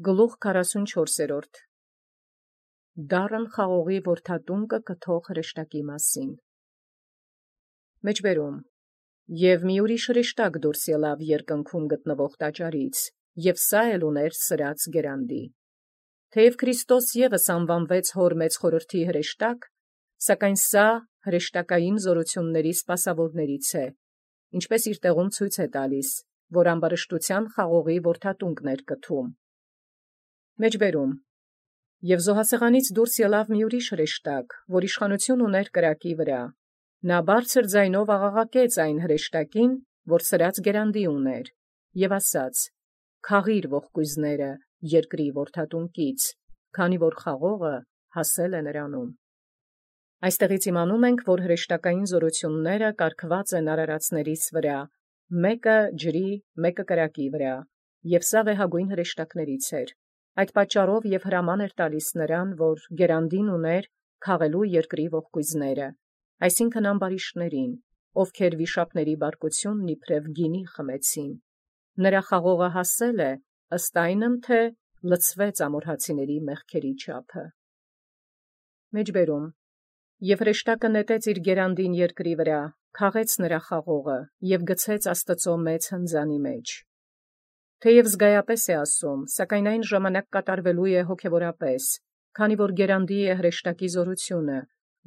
Գլուխ 44 Դառն խաղողի որդատունկը կթող հրեշտակի մասին։ Մեջբերում և մի ուրիշ հրեշտակ դուրս ելավ երկնքում գտնվող տաճարից, և սա էլ ուներ սրած գերանդի։ Թեև Քրիստոս ևս անվանվեց հոր մեծ խորհրդի հրեշտակ, սակայն սա հրեշտակային զորությունների սպասավորներից է, ինչպես իր տեղում ցույց է տալիս, որ ամբարշտության խաղողի որդատունկն էր կթում։ Մեջբերում և զոհասեղանից դուրս ելավ մի ուրիշ հրեշտակ, որ իշխանություն ուներ կրակի վրա։ Նա բարձր ձայնով աղաղակեց այն հրեշտակին, որ սրած գերանդի ուներ, և ասաց. «Քաղիր ողկույզները երկրի որդատունկից, քանի որ խաղողը հասել է նրանում»։ Այստեղից իմանում ենք, որ հրեշտակային զորությունները կարգված են արարածներից վրա, մեկը ջրի, մեկը կրակի վրա, և սա վեհագույն հրեշտակներից էր։ Այդ պատճառով և հրաման էր տալիս նրան, որ գերանդին ուներ քաղելու երկրի ողկույզները, այսինքն ամբարիշտներին, ովքեր վիշապների բարկությունն իբրև գինի խմեցին։ Նրա խաղողը հասել է, ըստ այնմ, թե լցվեց ամորհացիների մեղքերի չափը։ Մեջբերում և հրեշտակը նետեց իր գերանդին երկրի վրա, քաղեց նրա խաղողը և գցեց Աստծու մեծ հնձանի մեջ։ Թեև զգայապես է ասում, սակայն այն ժամանակ կատարվելու է հոգևորապես, քանի որ գերանդի է հրեշտակի զորությունը,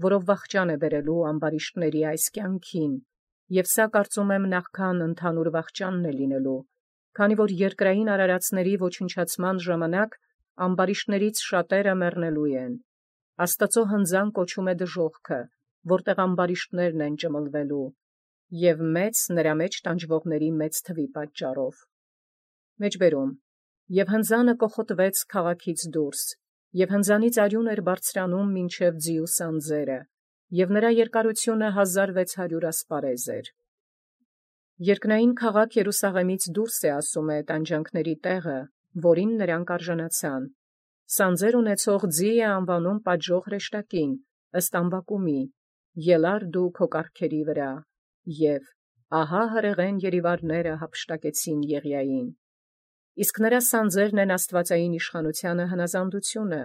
որով վախճան է բերելու ամբարիշտների այս կյանքին, և սա կարծում եմ նախքան ընդհանուր վախճանն է լինելու, քանի որ երկրային արարածների ոչնչացման ժամանակ ամբարիշտներից շատերը մեռնելու են։ Աստծու հնձան կոչում է դժոխքը, որտեղ ամբարիշտներն են ճմլվելու, և մեծ նրա մեջ տանջվողների մեծ թվի պատճառով։ Մեջբերում և հնձանը կոխոտվեց քաղաքից դուրս, և հնձանից արյուն էր բարձրանում մինչև ձիու սանձերը, և նրա երկարությունը 1600 ասպարեզ էր։ Երկնային քաղաք Երուսաղեմից դուրս է, ասում է, տանջանքների տեղը, որին նրանք արժանացան։ Սանձեր ունեցող ձի է անվանում պատժող հրեշտակին, ըստ ամբակումի. «Ելա՛ր դու քո կառքերի վրա», և «Ահա հրեղեն երիվարները յափշտակեցին Եղիային»։ Իսկ նրա սանձերն են աստվածային իշխանությանը հնազանդությունը,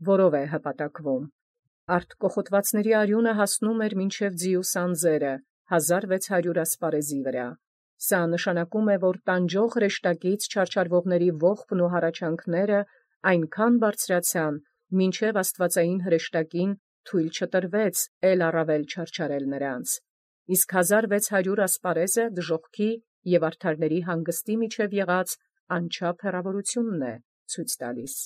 որով է հպատակվում։ Արդ կոխոտվածների արյունը հասնում էր մինչև ձիու սանձերը, 1600 ասպարեզի վրա։ Սա նշանակում է, որ տանջող հրեշտակից չարչարվողների ողբն ու հառաչանքները այնքան բարձրացան, մինչև աստվածային հրեշտակին թույլ չտրվեց էլ առավել չարչարել նրանց։ Իսկ 1600 ասպարեզը դժոխքի և արդարների հանգստի միջև եղած անչափ հեռավորությունն է ցույց տալիս։